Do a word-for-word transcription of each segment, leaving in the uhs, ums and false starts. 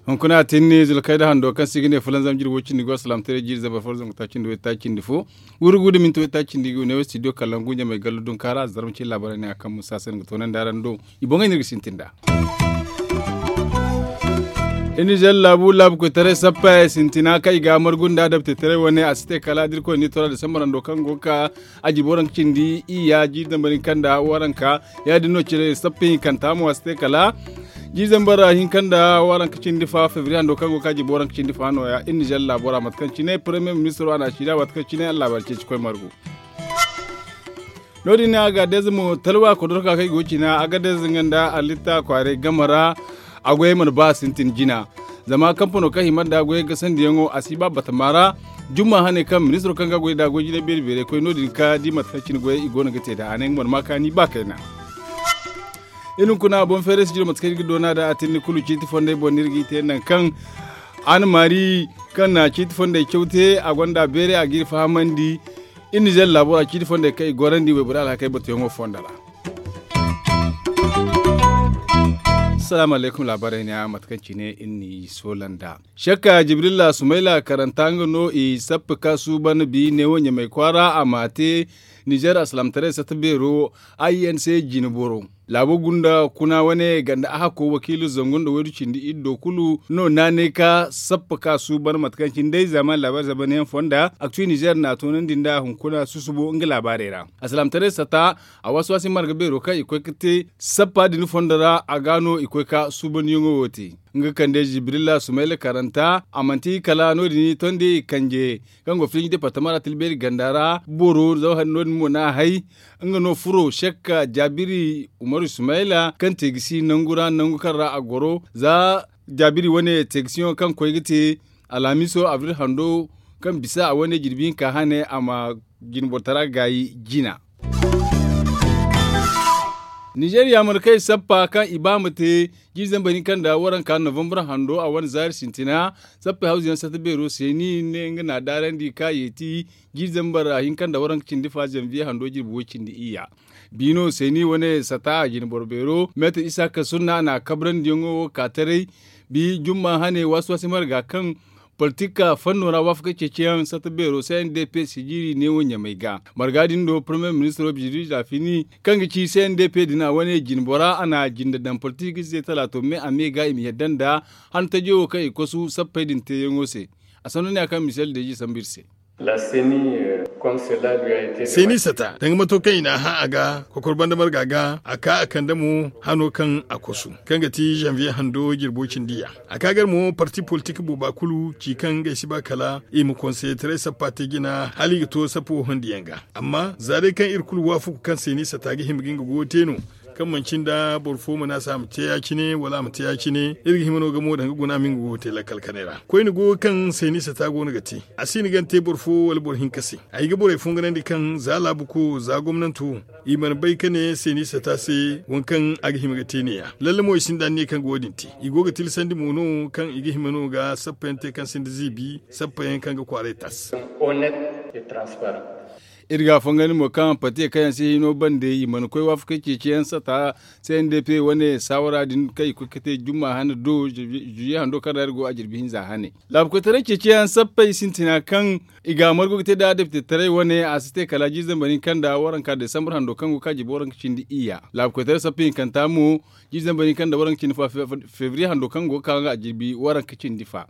Hunkuna a tinni zulkayda hando kaŋ se i ga ne fulanzam jirbi way cindi go salaamtaray jiiri zambar fo zangu taaci nda way taaci nda fo. Wurgu nda minti way taaci nda i go ne wo studio kalangu ɲamay gallu dunka ra zarma cine laabaarey ne a kaŋ musa se ni ga toonandi araŋ do. I boŋey no iri ga sintin nd'a. Iri nizer laabu laabu koytaray sappey sintina kaŋ i ga a margu nda adaptetaray wane a si te kala da irkoy n'i toro a disambar hando kaŋ go ga ka a jirbi waranka cindi iyya jiiri zambar hinka nda waranka. Ya- din no cire sappa hinkanta mo a si te kala jiiri zambar hinka nda waranka cindi fa febriye hando kaŋ go ga ka jirbi waranka cindi fa nooya iri nizer laabo ra mate kaŋ cine paremiye ministiro a na a ci da waati kaŋ cine a na laabaari ceeci koy margu. No- din ne agadez mo talwa kodorka kaŋ i go ga cina agadez nga nda alitta kwaaray game ra. A goyey mana ba sintin jina zama kampano kaŋ hima nda goyey gasandiyaŋo a si ba batama ra. Jumma hane kaŋ ministiro kaŋ ga goy nda goy jinay beeri beeray koy no- din ka di mate kaŋ cine goyey i go no ga te nd'a a ne nga mana ma kaani ba kayna. Iri hunkuna boŋ feeray sijiro mate kaŋ iri ga doona nd'a a tinni kulu ciiti fondey boŋ no iri g'i te nangu kaŋ a na maari kaŋ na ciiti fondey caw te a gonda beeray a g'iri fahamandi. Iri nizer laabo ra ciiti fondey kaŋ i gorandi wayborey alhakey batuyaŋo fonda ra. Salaamu alaykum laabaarey ne a mate kaŋ cine iri n'i soola nd'a. Sakka jibrilla sumayla karanta nga no i sappa ka suuban bi neewo ɲamay kwaara a m'a te. Nizer alsilaamataray satta beero a i n c jine boro. Laabo gunda kuna wane ganda a hakko wakiilo zangu nda waydu cindi iddo kulu no naanay ka sappa ka suuban mate kaŋ cine day zaaman laabaari zabanyaŋ fonda aktuy nizer n'a toonandi nda hunkuna susubo nga laabaarey ra. Alsilaamataray satta a waasi waasi marga beero kaŋ i koy ga te sappa din fondo ra a ga no i koy ga suubandiyaŋo wo te. Nga kande jibrilla sumayla karanta a manti kala no- din i tondi i kanje kaŋ go filinji departama ra tilbeeri ganda ra boro zama hari no- din mo no a hay. Nga no furo sekka jaabiri umaru sumayla kaŋ te ga si nangu ra nangu kaŋ ra a goro za jaabiri wane te ga si yaŋo kaŋ koy ga te alhamiso abril hando kaŋ bisa a wane jirbi hinka hane a ma jinboro tara gaayi jina. Nizer yaamarkey sappa kaŋ i ba ma te jiiri zambar hinka nda waranka novambar hando a wane zaari sintina. Sappey hawzu yaŋ satta beero se ni ne nga n'a daarandi ka yeeti jiiri zambar hinka nda waranka cindi fa zanviye hando jirbi way cindi iyya. Biino se ni wane sata a jine boro beero meetar isaaka sunna a n'a kabrandiyaŋo wo ka taray. Bi jumma hane waasi waasi marga kaŋ politika fanno ra waafaka ceeciyaŋ satta beero c n d p si jiiri neewo ɲamay ga marga din do parmiye ministiro biziris rafini kaŋ ga ci c n d p din a wane jine bora a na jinde daŋ politik ize talaato me a me ga i ma yadda nda han tajo wo kaŋ i kosu sappey din teeyaŋo se. A sanno ne a kaŋ misel deeji sambu iri se. Seni sata danga mato kaŋ i n'a hã a ga kokor banda marga ga a ka a kande mo hano kaŋ a kosu kaŋ ga ti zanviye hando jirbo cindi ya. A ka gar mo parti politik booba kulu ci kaŋ ngey si ba kala i ma konseyetarey sappa te jina hala i ga to sappo hondiyaŋ ga. Amma za day kaŋ iri kulu waafaku kaŋ se ni sata ga hima ga nga goyo te no kaŋ manci nda boro fo mana se a ma te ya- cine wala a ma te ya- cine iri ga hima no ga mo danga guna ma nga goyo te lakkal kanay ra koyne goyo kaŋ se ni sata go no ga te. A si ni gante boro fo wala boro hinka se. Ay ga borey fonganandi kaŋ za laabuko za gomnanto i mana bay ka ne se ni sata se waŋ kaŋ a ga hima ga te ne- ya lalle mo i sinda anniya kaŋ ga wo- din te. I go ga tilasandi mo no kaŋ i ga hima no ga sappa yaŋ te kaŋ sinda ziibi sappa yaŋ kaŋ ga kwaaray tas. Iri ga a fongandi mo kaŋ pate kaŋ yaŋ se hino bande i mana koy waafakey ceeciyaŋ sata. C n d p wane saawara din kaŋ i koy ga te jumma hane do zuye hando kaŋ ra iri go a jirbi hinza hane. Laabukoytaray ceeciyaŋ sappey sintina kaŋ i ga a margu ga te nda adeptetaray wane a si te kala jiiri zambar hinka nda waranka desambar hando kaŋ go ga ka jirbi waranka cindi iyya laabukoytaray sappey hinkanta mo. Jiiri zambar hinka nda waranka cindi fo febriye hando kaŋ go ga ka nga a jirbi waranka cindi fa.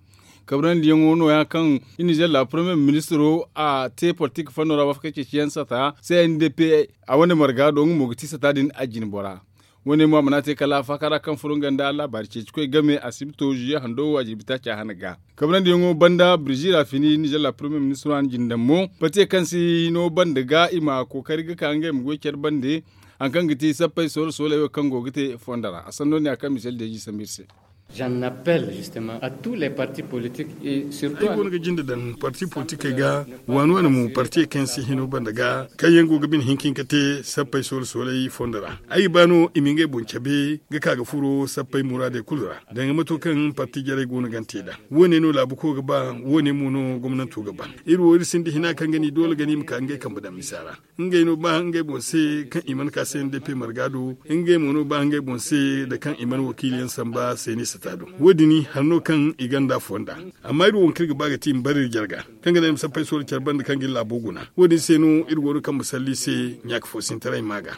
Kabrandiyaŋo nooya kaŋ iri nizer laabu parmiye ministiro a te politik fanno ra waafakey ceeciyaŋ sata c n d p a wane marga do nga mo ga ti sata din a jine bora. Wane mo a mana te kala faaka ra kaŋ furo nga nda laabaari ceeci koy game asibito zuye hando wo a jirbi taaci a hane ga. Kabrandiyaŋo banda birzi rafini nizer laabu parmiye ministiro a na jine daŋ mo pate kaŋ si no bande ga i ma kookari ga ka ngey ma goy care bande. Hari kaŋ ga ti sappey soolo sooley wo kaŋ go ga te fondo ra a sanno ne a kaŋ misel deeji sambu iri se. J'en appelle justement à tous les partis politiques et surtout. Ay goono ga jinde daŋ parti politikey ga, waani waani mo partiyey kaŋ yaŋ si hino banda ga, kaŋ yaŋ go ga bine hinka hinka te sappey soola soolay fondo ra. Ay ga ba no i ma ngey boŋ cabe ga ka ga furo sappey muraadey kulu ra, danga mato kaŋ parti jarey goono ga te nd'a. Wo- ne no laabu ko ga ba, wo- ne mo no gomnanto ga ba. Iri wo iri sinda hina kaŋ ga ni doole ga ni ma ka ngey kambe daŋ misa ra. Ngey no ba ngey boŋ se kaŋ i mana ka se nda pe marga do. Ngey mo no ba ngey boŋ se nda kaŋ i mana wakiili yaŋ samba se ni sata do. Wo- din hari no kaŋ i ganda fonda. Amma iri wo kaŋ iri ga ba ga ti i ma bare iri jarga, kaŋ ga naŋ i ma sappey soola care banda kaŋ ga iri laabo guna. Wo- din se no iri go no kaŋ ma salli i se ɲaaka fo sintaray ma ga.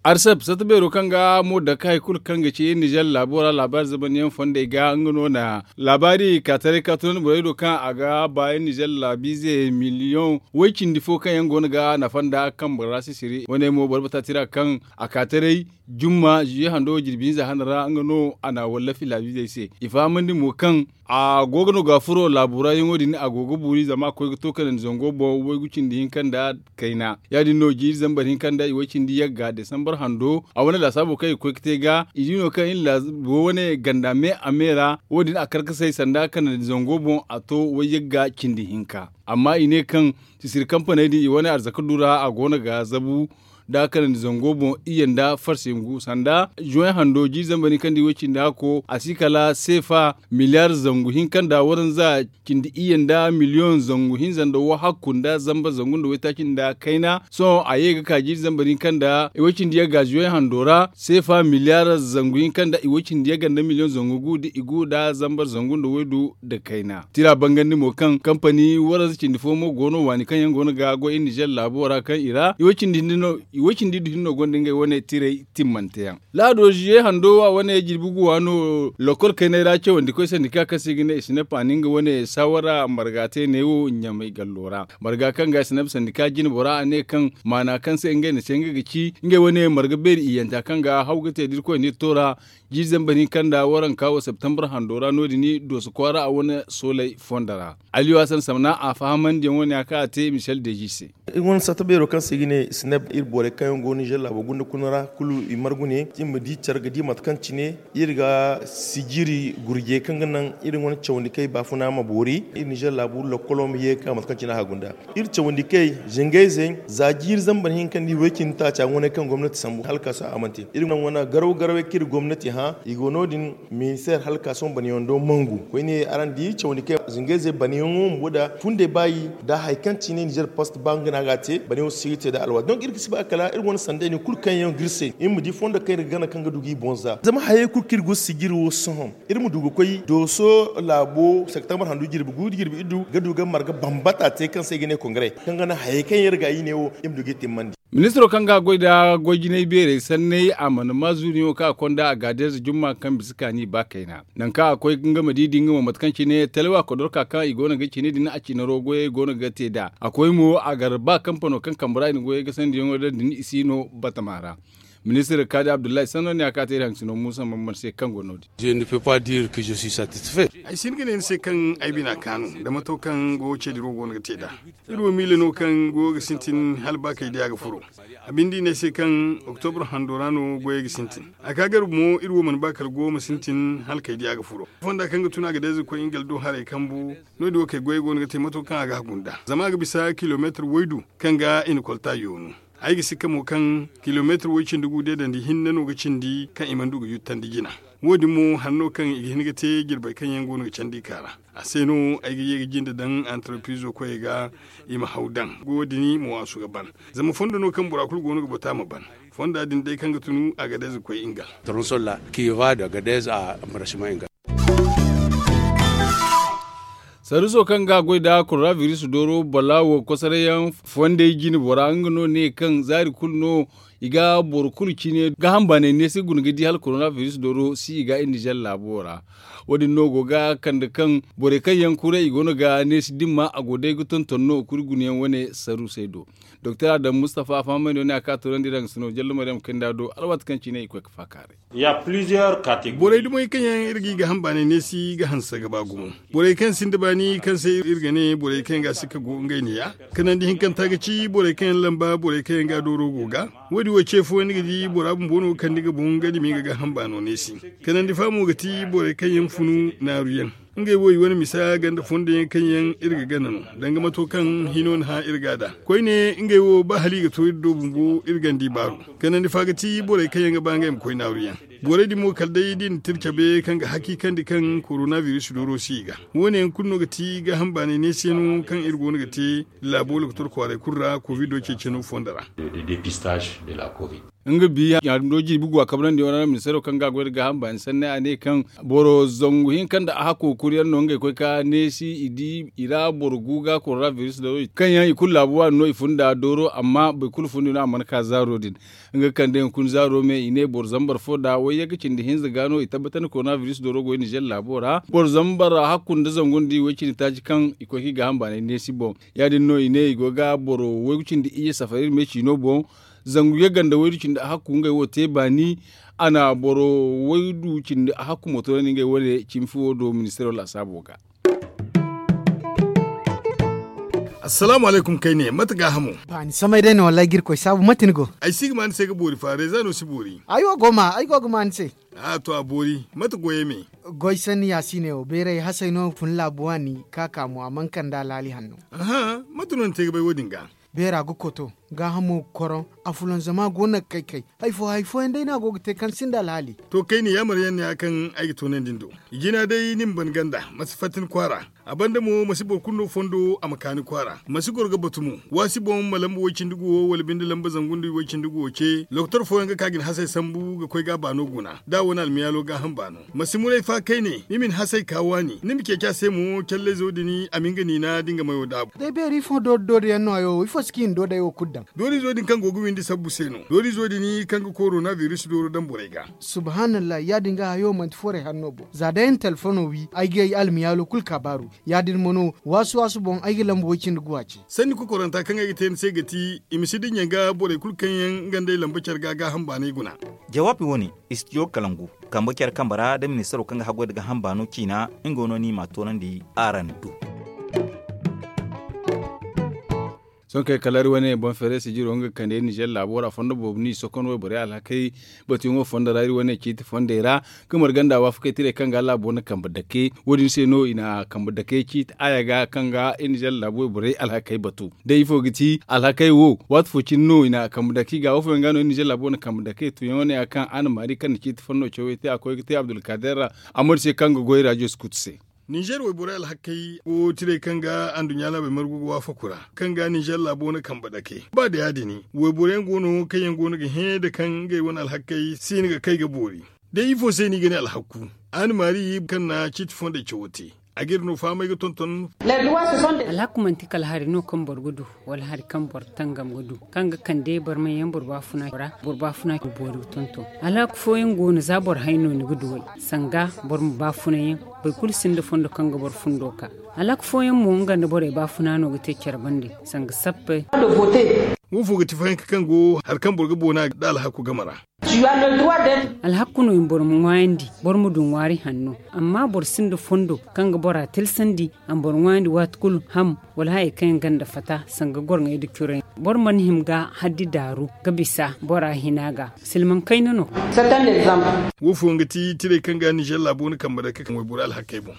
Arsep sata beero kaŋ ga mo dake hari kulu kaŋ ga ci nizer laabo ra laabaari zamanyaŋ fondey ga nga no na laabaari kaataray ka tunandi borey do kaŋ a ga ba nizer laabiize miliyoŋ way cindi fo kaŋ yaŋ go no ga nafa nda kaŋ boro ra sisiri wane mo boro bata tira kaŋ a kaataray jumma ziye hando jirbi hinza hana ra nga no a na wallafi laabiizey se i fahamandi mo kaŋ a go ga no ga furo laabu ra yaŋo din a go ga buuri zama a koy ga to kanandi zango boŋ waygu cindi hinka nda kayna. Ya- din no jiiri zambar hinka nda i way cindi yagga desambar hando a wane laasaabo kaŋ i ga koy ga te ga i di no kaŋ iri laabo wane ganda me a me ra wo- din a karkasay sanda kanandi zango boŋ a to way yagga cindi hinka. Amma i ne kaŋ sisiri kampaney din i wane arzaka du ra a go no ga zabu nda kanandi zango boŋ iyye nda farsi ngu sanda juway hando jiiri zambar hinka nda i way cindi hakko a si kala seefa miliyar zangu hinka nda waranza cindi iyye nda miliyoŋ zangu hinza nda wahakku nda zamba zangu nda waytaaci nda kayna. Sohõ a ye ga ka jiiri zambar hinka nda i way cindi yagga ziyoy hando ra seefa miliyar zangu hinka nda i way cindi yagga nda miliyoŋ zangu gu da i gu da zambar zangu nda waydu nda kayna tira bangandi mo kaŋ kampani waranza cindi fo mo go no waani kaŋ yaŋ go no ga goy iri nizer laabo ra kaŋ i ra i way cindi du hinne no gonda ngey wane tiray timmante yaŋ. Laado ziye hando wa wane jirbi guwa no lokol kaynay ra cawandi koy sandika kaŋ se ga ne i sinep a na nga wane saawara marga te neewo ɲamay gallo ra marga kaŋ ga i sinep sandika jine bora a ne kaŋ maana kaŋ se ngey na se nga ga ci ngey wane marga beeri iyyanta kaŋ ga haw ga te da irkoy nda iri to ra jiiri zambar hinka nda waranka wo septembre hando ra no- din dooso kwaara a wane soolay fondo ra. Aliyu hasan samna a fahamandiyaŋ wane ya kaŋ a te michel deji se. Iri wane sata beero kaŋ se i ga ne snep iri borey kaŋ yaŋ go nizer laabo gunda kuna ra kulu i margu ne iri ma di care ga di mate kaŋ cine iri ga sijiri gurjey kaŋ ga naŋ iri wane cawandi kay baafuna ma boori iri nizer laabu lokkolo ma ye ga ka mate kaŋ cine a ga gunda. Iri cawandi kay zingayzey za jiiri zambar hinka nda i way cindi taaca wane kaŋ gomnati sambu hala ka sohõ a mana te iri naŋ wane garaw garawey kaŋ iri gomnati hã i go no- din. Ministeer hala ka sohõ banayaŋ do mangu koyne araŋ di cawandi kaŋ zingayzey banayaŋo bumbo nda fundey baayi nda hari kaŋ cine nizer post ba nga no a ga a te banayaŋo si ga te nda alwaati donk iri ga si ba kala iri wane sanday din kulu kaŋ yaŋ ga iri se iri ma di fondo kaŋ iri ga gana kaŋ ga du ga i boŋ za zama hayey kulu kaŋ iri go sijiri wo sohõ iri ma du ga koy dooso laabo septembre handu jirbi gu nda jirbi iddu ga du ga marga bambata te kaŋ se i ga ne kongare kaŋ ga naŋ hayey kaŋ yaŋ iri ga i ne wo iri ma du ga i timmandi. Ministiro kaŋ ga a goy nda goy jinay beerey sanney a mana maa zuuriyaŋo kaŋ a konda a ga a deeza jumma kaŋ bisa kaani ba kayna nangu kaŋ a koy nga ma di da nga mo mate kaŋ cine talwa kodorka kaŋ i go no ga cine din a cinaro goyey go no ga te nd'a a koy mo a gar ba kampano kaŋ kambe ra i na goyey gasandiyaŋo daŋ din i si no batama ra. Ministir kaadi abdullahi sanno ne a ka te iri haŋ sino muusa mamman se kaŋ go no- din. Ay si hin ga ne ni se kaŋ ay bina kaanu nda mato kaŋ goyo ceediro go no ga te nd'a. Iri wo miila no kaŋ goyo ga sintin hala ba kay day a ga furo. A binde i ne ay se kaŋ oktobro hando ra no goyey ga sintin. A ka garba mo iri wo mana ba kala goyo ma sintin hala kay day a ga furo fonda kaŋ ga tun a ga day za ga koy nga ga do haray kambu. No- din wo kay goyey go no ga te mato kaŋ a ga hagu nd'a zama a ga bisa kilomeetir waydu kaŋ ga i na kolta yoonu. Ay ga sikka mo kaŋ kilomeetir way cindi gu deedandi hinne no ga cindi kaŋ i mana du ga yuttandi jina. Wo- din mo hari no kaŋ i ga hin ga te jirbey kaŋ yaŋ go no ga candi i ka ra. A se no ay ga ye ga jinde daŋ antarpiizo koyey ga i ma haw daŋ goyo din mo waasu ga ban. Zama fondo no kaŋ bora kulu go no ga batu a ma ban. Fonda din day kaŋ ga tun a ga day za ga koy ingal. Saruso kaŋ ga a goy nda korona biris dooro balaawo kosoray yaŋ fondey jine bora nga no ne kaŋ zaari kulu no i ga boro kulu cine gaaham baanay neesi guna ga di hala korona biris dooro si i ga iri nizer laabo ra. Wo- din no go ga kande kaŋ borey kaŋ yaŋ kuray i go no ga neesi dimma a go day ga tonton no kuri guna yaŋ wane sarusey do. Doktor adamu mustafa a fahamandi wane a ka toorandi iri haŋ sino jallo maryam kaŋ nda do alwaati kaŋ cine i koy ga faakaaray. Borey dumey kaŋ yaŋ iri ga i ga hambaanay neesi ga hanse ga ba gumo. Borey kaŋ sinda baani kaŋ se iri ga ne borey kaŋ yaŋ ga a sikka go ngey ne ya. Kanandi hinkanta ga ci borey kaŋ yaŋ lamba borey kaŋ yaŋ ga a dooro go ga. Wo- din Wo ce fooyaŋ ni ga di bora bumbo no ga kande nga boŋ nga dumi nga gaaham baano neesi. Kanandi fa mo ga ti borey kaŋ yaŋ funu naaru yaŋ. Ngey wo i wane misa ganda fondo yaŋ kaŋ yaŋ iri ga gana no, danga mato kaŋ hino na hã iri ga da koyne. Ngey wo ba hala i ga to iri do bumbo iri ganda i baaru. Kanandi fa ga ti borey kaŋ yaŋ ga ba ngey ma koy naaru yaŋ. Borey din mo kala day da i na tira cabe kaŋ ga hakiikandi kaŋ korona biris dooro si i ga. Wo- ne yaŋ kulu no ga ti gaaham baanay neesiyano kaŋ iri go no ga te laabo lokotor kwaaray kulu ra kovido ceeceno fondo ra. Nga biya no jirbi gu a kabrandi wane ra ministeero kaŋ ga a goy nda gaaham baani sanni a ne kaŋ boro zangu hinka nda a hakku kuri yaŋ no ngey koy ka neesi i di i ra boro gu ga korona biris dooro kaŋ yaŋ i kulu laabu waani no i fun da dooro amma boro kulu fundi no a mana ka zaaro din. Nga kande hunkuna zaaro me i ne boro zambar fo nda wayye ga cindi hinza ga no i tabbatandi korona biris dooro goy nizer laabo ra boro zambar hakku nda zangu nda i way cindi taaci kaŋ i koy ka i gaaham baanay neesi boŋ. Ya- din no i ne i go ga boro waygu cindi iyye safari iri me ciino boŋ. Zangu yagga nda waydu cindi a hakku ngey wo te baani. A na boro waydu cindi a hakku mo toonandi ngey wane cimi fuwo do ministeero laasaabo ga. Assalaamu alaykum kayne mate gaahamo? Baani samay day no wallaahi ga irkoy saabu mate ni go? Ay si ga ma ni se ga boori fa reeza no si boori. Ay wo go ma ay go ga ma ni se. A to a boori mate goyey me? Goy sanni yaasiiney wo beeray hasey no fun laabu waani ka ka mo a mana kande alhaali hanno. Aha, mate no ni te ga bay wo- din ga? Beera ga koto gaahamo ga koroŋ. Afulanzama go no ga kay kay. Hari fo hari fooyaŋ day no a go ga te kaŋ sinda alhaali. To kayne yaamar yaŋ no ya kaŋ ay ga toonandi ni do. Jina day ni ma ban ganda ma si fatta ni kwaara. A banda mo ma si boro kulu no fondo a ma ka ni kwaara ma si goro ga batu mo. Waasi boŋ ma lamba way- cindi guwo wala binde lamba zangu nda way- cindi guwo ce lokotor fooyaŋ ga ka ga ni hasey sambu ga koy ga a baano guna da a wane almiyaalo gaaham baano. Ma si muray fa kayne ni ma ni hasey ka waani ni ma ceeci a se mo callayzo din a ma nga niina da nga mayo daabu. Day beeri ifo doori doori yaŋ no hayo ifo si ka i na doodey wo kulu daŋ? Doorizo din kaŋ go ga windi sabbu se no doorizo din kaŋ ga korona biris dooro daŋ borey ga. Subhaanallah ya- din ga hayo manti forey hanno boŋ za day ay na telefono wi ay ga ay almiyaalo kulu ka baaru. Ya- din mo no waasu waasu boŋ ay ga lamba way- cindi guwa ce. Sanni kokoranta kaŋ ay ga te ni se ga ti i ma si dinya ga borey kulu kaŋ yaŋ nga nd'ey lamba care ga gaaham baanay guna. Jawaabi wo- ne istijo kalangu kambe care kambe ra nda ministaro kaŋ ga haggoy nda gaaham baano ciina. Nga no ni ma a toonandi araŋ do. Sohõ kay kala iri wane boŋ feere sijiro nga ga kande nizer laabo ra fondo boobo no i sokon wayborey alhakey batuyaŋo fondo ra iri wane ciiti fondey ra. Ga marganda waafakey tirey kaŋ ga laabo na kambe dake wo- din se no i na kambe dake ciiti aaya ga kaŋ ga iri nizer laabo wayborey alhakey batu. Day ifo ga ti alhakey wo waati fo cine no i na kambe dake i ga wo fooyaŋ ga no iri nizer laabo na kambe dake tuyaŋo ne ya kaŋ a na maari kaŋ na ciiti fondo cawey te a koy ga te abdulkader ra. Amadu se kaŋ ga goy rajo skutu se. Nizer wayborey alhakey go tirey kaŋ ga anduɲɲa laabey margu ga waafaku ra kaŋ ga nizer laabo na kambe dake ba da ya- din wayborey yaŋ go no kaŋ yaŋ go no ga hẽ da kaŋ ngey wane alhakey si hin ga kay ga boori. Day ifo se no i ga ne alhakku? A na maari kaŋ na ciiti fondey cawo te a ga iri no fahamay ga tonton. Alhakku manti kala hari no kaŋ boro ga du wala hari kaŋ boro tangam ga du kaŋ ga kande barmay yaŋ boro baafuna ra boro baafuna boori ga tonton. Alhakku fooyaŋ go no za boro hay no ni ga duw'ey sanga boro ma baafuna yaŋ. Boro kulu sinda fondo kaŋ ga boro fundo ka alhakku fooyaŋ mo nga nda borey baafuna no ga te care bande sanga sappey. Wo fo ga ti fahinka kaŋ go hari kaŋ boro ga boona nda alhakku game ra. Alhakku no i ma boro ma ŋwaayandi boro ma du ŋwaari hanno. Amma boro sinda fondo kaŋ ga bora tilsandi a ma boro ŋwaayandi waati kulu ham wala hayey kaŋ yaŋ ganda fata sanga gorŋey nda curey. Boro mana hima ga haddi daaru ga bisa bora hina ga silmaŋ kayna no. Wo fooyaŋ ga ti tirey kaŋ ga nizer laabo na kambe dake kaŋ wayborey alhakey boŋ.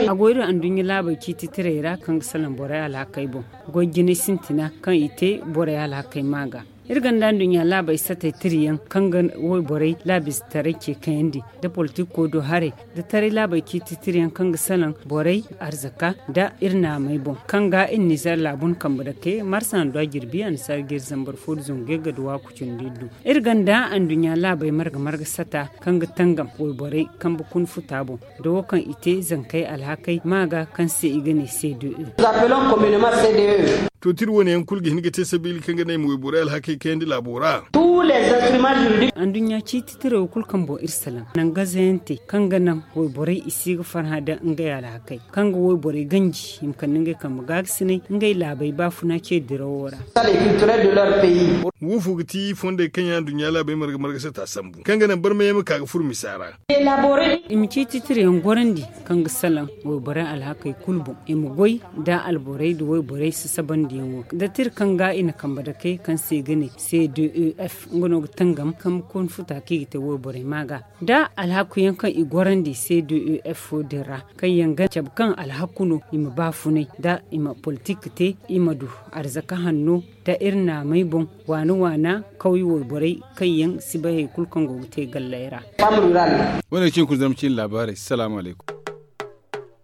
A go iri anduɲɲa laabey ciiti tirey ra kaŋ ga salaŋ borey alhakey boŋ. Goy jinay sintina kaŋ i te borey alhakey ma ga. Iri gonda nduɲɲa laabey satey tiriyaŋ kaŋ ga wayborey laabize taray ce kayandi nda politiko do haray nda taray laabey ciiti tiriyaŋ kaŋ ga salaŋ borey arzaka nda iri naamey boŋ kaŋ ga iri nizer laabu na kambe dake marsa nda jirbi annasaara ga iri zambar fo nda zangu yagga nda waaku cindi iri du. Iri gonda anduɲɲa laabey marga marga sata kaŋ ga tangam wayborey kambe kuna futa boŋ. Da wo kaŋ i te zankey alhakey ma ga kaŋ se i ga ne cde. To tira wane yaŋ kulu ga hin ga te sabiila kaŋ ga ne i ma wayborey alhakey kayandi laabo ra. Anduɲɲa ciiti tirey wo kulu kaŋ boŋ iri salaŋ nangazayaŋ te kaŋ ga naŋ wayborey i si ga farhã nda ngey alhakey kaŋ ga wayborey ganji i ma kande ngey kambe gaagasinay ngey laabey baafuna ce dirawo ra. Wo fo ga ti fondey kaŋ yaŋ anduɲɲa laabey marga marga sata sambu kaŋ ga naŋ barmay yaŋ ma ka ga furo misa ra. I ma ciiti tirayaŋ gorandi kaŋ ga salaŋ wayborey alhakey kulu boŋ i ma goy nda alborey nda wayborey sasabandiyaŋo nda tira kaŋ ga i na kambe dake kaŋ se i ga ne. C D E F nga no ga tangam kambe kooni futa kaŋ i ga te wayborey ma ga da alhaku yaŋ kaŋ i gorandi C D E F wo din ra, kaŋ yaŋ ga cabe kaŋ alhaku no i ma baafunay da i ma politik te, i ma du arzaka hanno da iri naamey boŋ, waana waana kawye wayborey kaŋ yaŋ si bay hari kulu kaŋ go ga te galley ra. Wane ga cin kulu zama cin laabaarey salaamu alaykum.